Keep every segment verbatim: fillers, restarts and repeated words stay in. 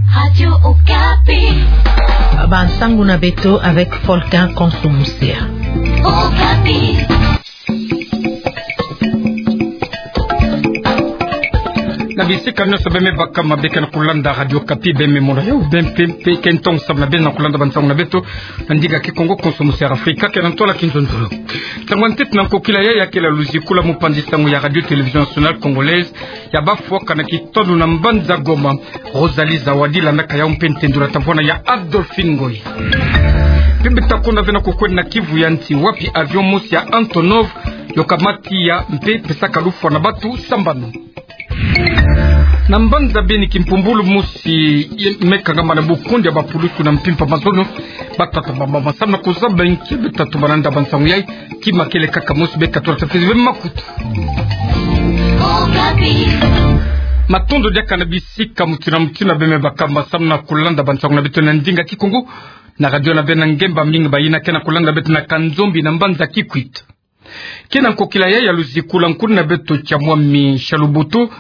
Radio Okapi. Bansangu na beto avec Volcan Konso Musia. Okapi. Na bisika nionso beme baka mabe ke na kulanda Radio Okapi, beme mona yo, bem pem pe ke ntongo sambu na beno na kulanda bansangu na beto na ndinga Kikongo, Konso Musia Afrika, ke na ntwala Kinzonzolo. Nsangu ya ntete na nkokila yayi ya kele luziku la mopanzi sangu ya Radio Télévision Nationale Congolaise, ya bafwaka na kitono na mbanza Goma, Rosalie Zawadi, landaka yau mpe ntendula tavwana ya Adolphine Ngoyi. Mpe beto takwenda ve na kukwenda na kivu ya nsi, wapi avion mosi ya Antonov yo kamati ya mpe pesaka lufwa na batu sambanu. Na mbanza Beni, kimpumbulu mosi me kangama na bukundi ya bapulusu na mpimpa mazono, batata bamama sambu na kuzaba nki. Beto tatubana nda bansangu yayi, kima kele kaka mosi, beka tula tafiti ve makutu. Matondo diaka na bisika mutinu na mutinu beme baka masambu na kulanda bansangu na beto na ndinga Kikongo na radio na beno na ngemba mingi. Bayina ke na kulanda beto na Kanzombi na mbanza Kikwit, ke na nkokila yayi ya luziku la nkulu na beto Kiamwami Chalubutu,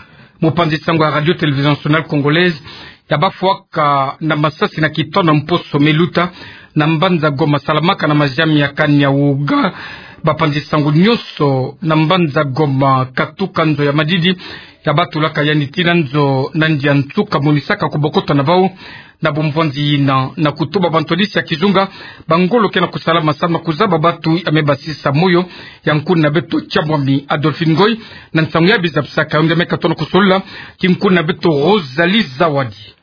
mopanzi sangu ya Radio Télévision Nationale Congolaise, ya bafwaka na masasi na kitono mposo me luta na mbanza Goma, salamaka na maziami ya Kaniauga. Bapanzi sangu nionso na mbanza Goma, katuka nzo ya madidi, ya batulaka yandi tii na nzo na ndia nsuka, monisaka kubokota na bau na bumvwanzi yina, na kutuba bantwadisi ya kizunga ba ngolo ke na kusala masambu na kuzaba batu ya me basisa moyo. Ya nkulu na beto Kiamwami Adolphine Ngoyi, na nsangu ya bizabisaka yo nge, me katono kusolula ki nkulu na beto Rosalie Zawadi.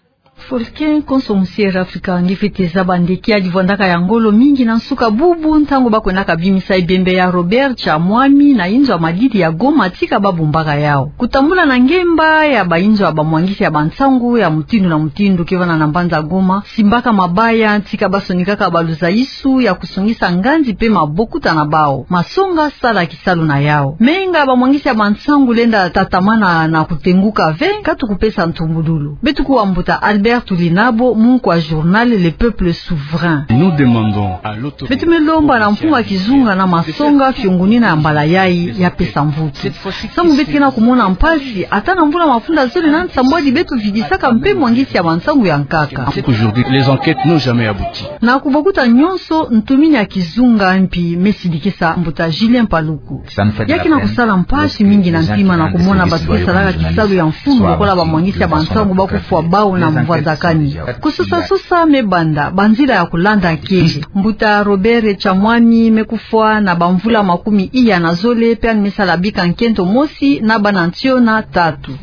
Volcan Konso Musia Afrika, nge fwete zaba nde kiadi vwandaka ya ngolo mingi na nsuka bubu, ntangu bakwendaka bimisa ebembe ya Robert Kiamwami na inzo ya madidi ya Goma, tika babombaka yau. Kutambula na ngemba ya bainzo ya bamwangisi ya bansangu ya mutindu na mutindu ke vanda na mbanza Goma, simbaka mabaya tika basonikaka baluzaisu ya kusongisa nganzi mpe mabokuta na bau. Masonga sala kisalu na yau. Menga bamwangisi ya bansangu lenda tatamana na kutenguka ve, katu kupesa ntumbululu. Beto kuwa mbuta Albert Tulinabo, munku wa journal Le Peuple Souverain. Nous demandons à l'autorité. Beto me lomba na mfumu wa kizunga na masonga, fiongonina ya mbala yayi ya pesa mvutu. Sambu beto ke na kumona mpasi, ata na mvula mafunda zole na nsambwadi beto vidisaka mpe mwangisi ya bansangu ya nkaka. Aujourd'hui, les enquêtes n'ont jamais abouti. Na kubokuta nionso, ntumini ya kizunga mpi me sidikisa mbuta Julien Paluku. Ya ke na kusala mpasi mingi na ntima na kumona batu ke salaka kisalu ya mfunu lokola bamwangisi ya bansangu bakufwa bau na mvwazakani. Kusosasosa me banda, banzila ya kulanda kele. Mbuta Robert Kiamwami me kufwa na bamvula makumi iya na zole, mpe yandi me sala bika nkento mosi na bana ntiona tatu.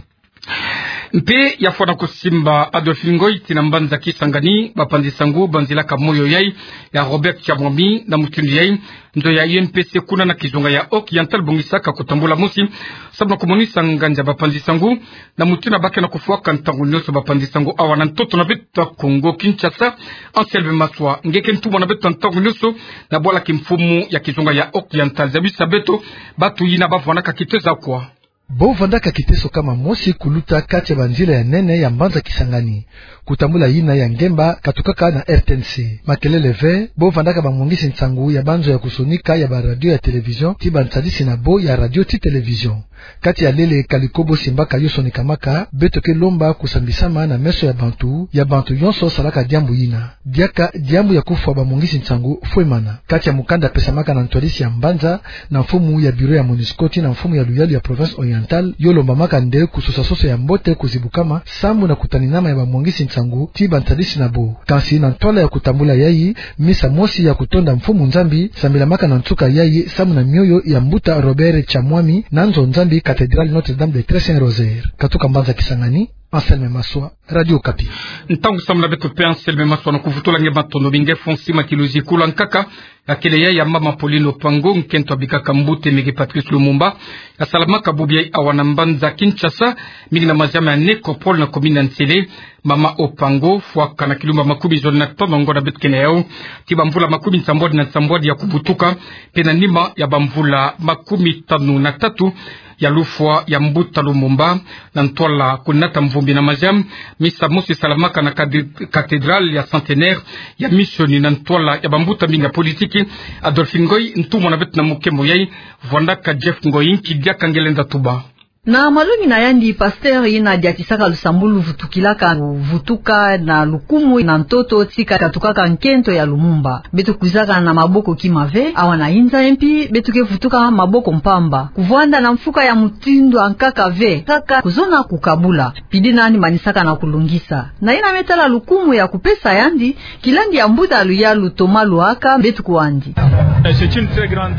Mpe ya fwana kusimba Adolphine Ngoyi tii na mbanza Kisangani, bapanzi sangu banzilaka moyo yayi ya Robert Kiamwami na mutindu yayi. Nzo ya U N P C kuna na kizunga ya Oriental bongisaka kutambula mosi sambu na kumonisa nganzi ya bapanzi sangu na mutindu ba ke na kufwaka ntangu nionso bapanzi sangu awa na ntoto na beto Kongo Kinshasa. Anselme Maswa, nge ke ntumwa na beto ntangu nionso na bwala kimfumu ya kizunga ya Oriental, zabisa beto batu yina bavwandaka kiteso kwa. Bo vandaka kiteso kama mosi kuluta kati ya banzila ya nene ya mbanza Kisangani, kutambula yina ya ngemba katukaka na R T N C. Makelele ve, bo vandaka bamwangisi nsangu ya banzo ya kusonika ya baradio ya télévision ti bansadisi na bo ya radio ti télévision. Kati ya lele kaliko bo simbaka yo sonikamaka, beto ke lomba kusambisama na meso ya bantu, ya bantu yonso salaka diambu yina. Diaka diambu ya kufwa bamwangisi nsangu fwemana. Kati ya mukanda pesamaka na ntwadisi ya mbanza, na mfumu ya bureau ya MONUSCO tii na mfumu ya luyalu ya province Oriental, yo lombamaka nde kusosasosa ya mbote kuzibukama sambu na kutaninama ya bamwangisi nsangu ti bansadisi na bo. Kansi na ntwala ya kutambula yayi, misa mosi ya kutonda Mfumu Nzambi sambilamaka na nsuka yayi sambu na mioyo ya mbuta Robert Kiamwami na nzo Nzambi cathédrale Notre-Dame des Très Saints Rosaires. Katuka mbanza Kisangani, Anselme Maswa, Radio Okapi. Ntangu sambu na beto mpe Anselme Maswa na kuvutula nge matondo mingi. Fo nsima ti luziku la nkaka ya kele yayi ya mama Pauline Opango, nkento abikaka mbuta Aimé-Gue Patrice Lumumba, asalamaka bubu yayi awa na mbanza Kinshasa, mingi na maziama ya Nécropole na commune ya Nsele. Mama Opango fwaka na kilumba makumi zole na tanu na ngonda beto ke na yau ti bamvula makumi nsambwadi na nsambwadi ya kubutuka, mpe na nima ya bamvula makumi tanu na tatu ya lufwa ya mbuta Lumumba, na ntwala kunata mvumbi na maziam, misa mosi salamaka na cade-, cathédrale ya Centenaire ya Mission na ntwala ya bambuta mingi ya politiki. Adolphine Ngoyi, ntumwa na beto na mukembo yayi, vwandaka Jeff Ngoyi, nki diaka nge lenda tuba. Na malongi na yandi, pasteur yina diatisaka lusambulu vutukilaka, vutuka na lukumu na ntoto tika katukaka nkento ya Lumumba. Beto kwizaka na maboko kima ve, awa na inza ye mpi, beto ke vutuka maboko mpamba. Kuvwanda na mfuka ya mutindu ankaka ve, kaka kuzona kukabula. Pidi nani manisaka na kulungisa. Na yina me tala lukumu ya kupesa yandi, kilandi ya mbuta luyalu Thomas Lohaka, beto kwandi.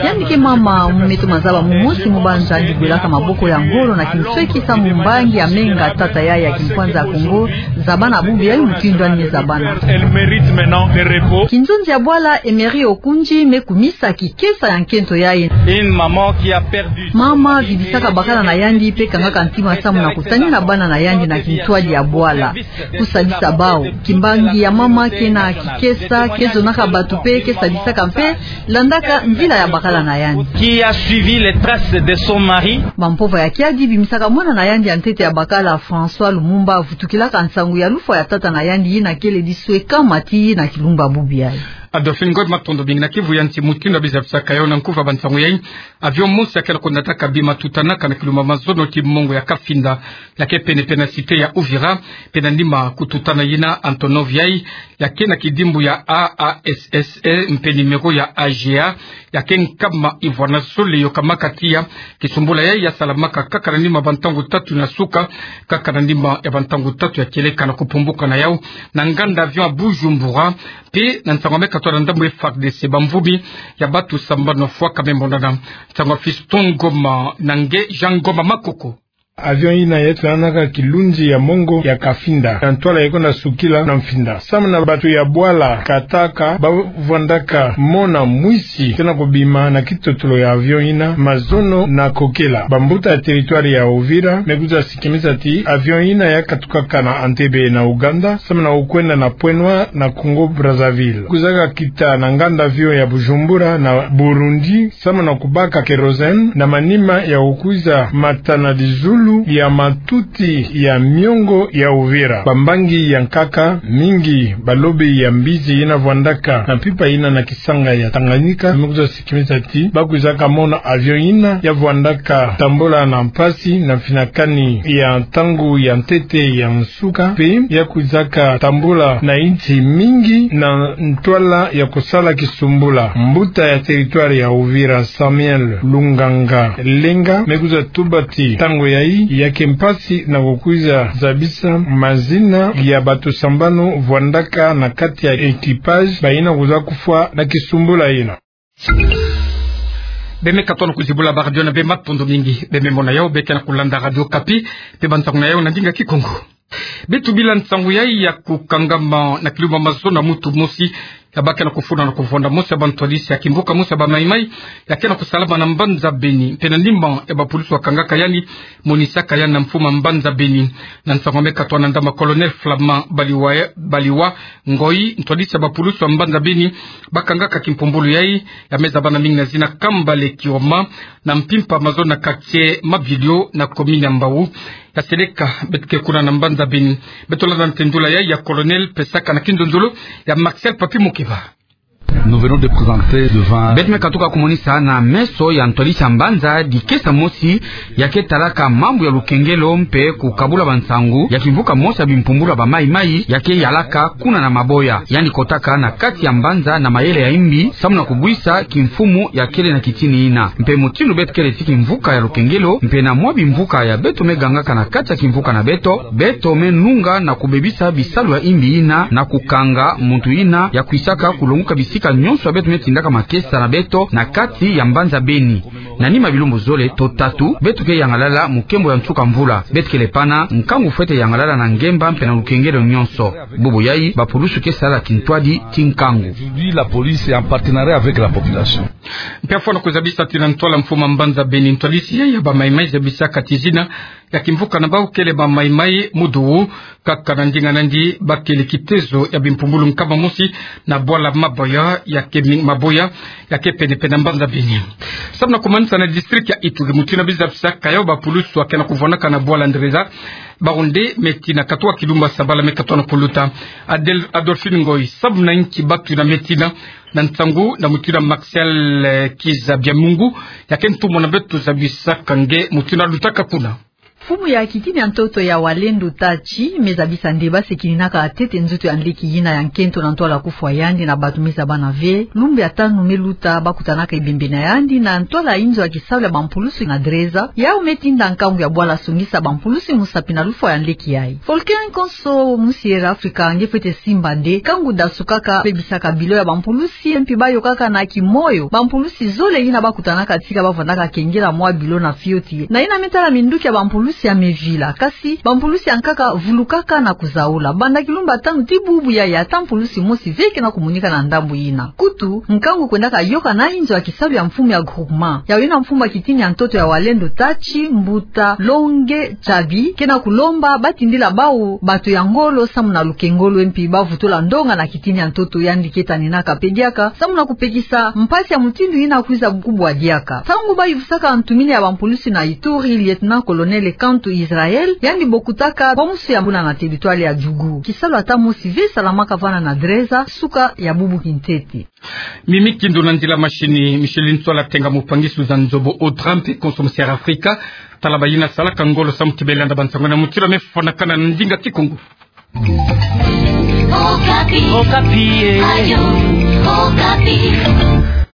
Yandi ke mama mumeto mazaba mumosi mu banza yandi kwelaka maboko ya ngolo na kinsweki samu mbangi ya menga tata yayi ya kimpwanza Kongo, zabana bubu yayi mutindu yandi me zabana. Kinzonzi ya bwala Emery Okundji me kumisa kikesa ya nkento yayi. Mama vidisaka bakala na yandi mpe kangaka ntima samu na kutanina bana na yandi na kintwadi ya bwala. Kusadisa bawu. Kimbangi ya mama kena kikesa, ke zonaka bato mpe ke sadisaka mpe landaka nzila ya bakala na yandi. Qui a suivi les traces de son mari. Bampova ya kiadi bimisaka mwana na yandi ya ntete ya bakala, François Lumumba, avutukilaka nsangu ya lufwa ya tata na yandi yina kele disweka mati na kilumbu bubu yayi. Adolphine Ngoy, matondo mingi. Na Kivu ya nsi, mutindu biza bisaka yo na nkuva bansangu yayi, avion mosi ya kele konataka bima tutanaka na kilumbu mazono ti mongo ya Kafinda, ya ke pene-pene na cité ya Uvira, pene na nima kututana yina Antonov yayi, ya ke na kidimbu ya A A S S E mpe numéro ya A G A, ya ke nkama ivwa na zole yokamaka tiya. Kisumbula yayi ya salamaka kaka na nima bantangu tatu na suka, kaka na nima ya bantangu tatu ya kieleka na kupumbuka na yawu na nganda avion ya Bujumbura, mpe na nsangu ya me katwa na ndambu F A R D C, bamvumi ya bato sambanu fwaka me monana. Nsangu ya Fiston Ngoma na nge Jean Ngoma Makoko. Avion yina ya tutanaka kilunzi ya mongo ya Kafinda, na ntwala ya kwenda sukila na Mfinda. Samu na bato ya bwala kataka, bavwandaka mona mwisi kena kubima na kitotolo ya avion yina mazono na kokela. Bambuta ya territoire ya Uvira me kwiza kimisa ti avion yina ya katukaka na Entebbe na Ouganda, samu na kukwenda na Pointe-Noire na Congo-Brazzaville. Kwizaka kita na nganda avion ya Bujumbura na Burundi, samu na kubaka kérosène na manima ya kukwiza mata na dizulu ya matuti ya miongo ya Uvira. Bambangi ya nkaka mingi, balobi ya mbizi yina vwandaka na mpimpa yina na kisanga ya Tanganyika, me kwiza kimisa ti bakwizaka mona avion yina ya vwandaka tambula na mpasi na mfinakani ya ntangu ya ntete ya nsuka, mpe ya kwizaka tambula na insi mingi na ntwala ya kusala kisumbula. Mbuta ya territoire ya Uvira, Samuel Lunganga Lenga, me kwiza tuba ti ntangu yayi ya ke mpasi na kukwiza zabisa mazina ya bato sambanu vwandaka na kati ya équipage, bayina kwiza kufwa na kisumbula yina. Beno me katono kuzibula ba radio na beno, matondo mingi. Beno me mona yawu, beno ke na kulanda Radio Okapi, mpe bansangu na yawu na ndinga Kikongo. Beto bila nsangu yayi ya kukangama na kilumbu mazono na mutu mosi, ya bake na kufuna na kuvonda mosi ya bantwadisi ya kimvuka mosi ya ba Maï-Maï, ya ke na kusalama na mbanza Beni, mpe na nima ya bapulusu wakangaka yandi, monisaka yandi na mfumu ya mbanza Beni. Na nsangu ya me katwa na ndambu Colonel Flamand Baliwa, Baliwa Ngoyi, ntwadisi ya bapulusu ya mbanza Beni, bakangaka kimpumbulu yayi, ya me zabana mingi na zina Kambale Kioma, na mpimpa mazono na quartier Mabilio na commune ya Mbao. Ya seleka, beto ke kuna na mbanza Beni. Beto landa ntendula yayi ya Colonel, pesaka na kinzonzolo ya Marcel Papi Mukeba. Nous venons de présenter devant... Beto me katuka kumonisa na meso ya ntwadisi ya mbanza dikesa mosi ya ke talaka mambu ya lukengelo mpe kukabula bansangu ya kimvuka mosi ya bimpumbulu ya ba Maï-Maï ya ke yalaka kuna na Maboya. Yandi kotaka na kati ya mbanza na mayele ya imbi, samu na kubwisa kimfumu ya kele na kitini yina. Mpe mutindu beto kele ti kimvuka ya lukengelo, mpe na mwa bimvuka ya beto me gangaka na kati ya kimvuka na beto, beto me nunga na kubebisa bisalu ya imbi yina na kukanga muntu yina ya kwisaka kulonguka bisika nyonso ya beto me tindaka makesa na beto na kati ya mbanza Beni. Na nima bilumbu zole to tatu, beto ke yangalala mu nkembo ya nsuka mvula. Beto kele pana nkangu fwete yangalala na ngemba mpe na lukengelo nyonso. Bubu yayi, bapulusu ke sala kintwadi ti nkangu. Aujourd'hui, la police est en partenariat avec la population. Mpe afwana kuzabisa ti na ntwala mfumu ya mbanza Beni, ntwadisi yayi ya ba Maï-Maï zabisaka ti zina ya kimvuka na bawu kele ba Maï-Maï muduwu, kaka na ndinga nandi bakele kitezo ya bimpumbulu nkama mosi na bwala Maboya ya ke mi-, Maboya ya ke penepene na mbanza Beni. Samu na kumanisa na district ya Ituri, mutindu biza bisaka yawu, bapulusu ya ke na kuvwanaka na bwala Ndreza, bawu nde me tina katuka kilumbu ya sabala me katono kuluta. Adel-, Adolphine Ngoyi, samu na inki bawu yina me tina? Na nsangu na mutindu Marcel, eh, Kiza Biamungu, ya ke ntumwa na beto zabisaka nge mutindu lutaka kuna. Mfumu ya kitini ya ntoto ya Walendu Tachi me zabisa nde basi ekininaka ntete nzoto ya nleki yina ya nkento na ntwala kufwa yandi na bato me zabana ve, lumbu ya tanu me luta bakutanaka ebembe na yandi na ntwala inzo ya kisalu ya bampulusi na Dreza, yau me tinda nkangu ya bwala songisa bampulusi musapi na lufwa ya nleki yayi. Volcan Konso, musi Air Africa, nge fwete simba nde nkangu dasukaka, bebisaka bilo ya bampulusi, mpi bayokaka na kimoyo bampulusi zole yina bakutanaka tika bavandaka kengela mwa bilo na fioti. Na yina me tala minduki ya bampulusi ya mevila, kasi bampulusi ya nkaka vulukaka na kuzaula. Banda kilumbu ya tanu tii bubu yayi, ata mpulusi mosi ve ke na kumonika na ndambu yina. Kutu, nkangu kwendaka yoka na inzo ya kisalu ya mfumu ya groupement. Yau yina mfumu ya kitini ya ntoto ya Walendu Tachi, mbuta Longe Chabi, ke na kulomba batindila bau bato ya ngolo samu na lukengolo, mpi bavutula ndonga na kitini ya ntoto yandi ke taninaka pe diaka, samu na kupekisa mpasi ya mutindu yina kwiza kubwa diaka. Ntangu bayuvusaka ntumini ya bampulusi na Ituri, Lieutenant-colonel Kantu Israel, yandi bokutaka bwa musu ya buna na territoire ya Djugu. Kisalu ata mosi ve salamaka vana na Dreza, suka ya bubu kintete. Mimi Kindu na nzila machine, Micheline Sola Tenga, mupangi Suzanne Nzobo Audra mpe Konso, musi Air Africa. Tala bayina salaka ngolo samu ti belanda bansango na mutilo mefwanakana na ndinga Kikongo. Okapi. Okapi, eh. Ayo, Okapi.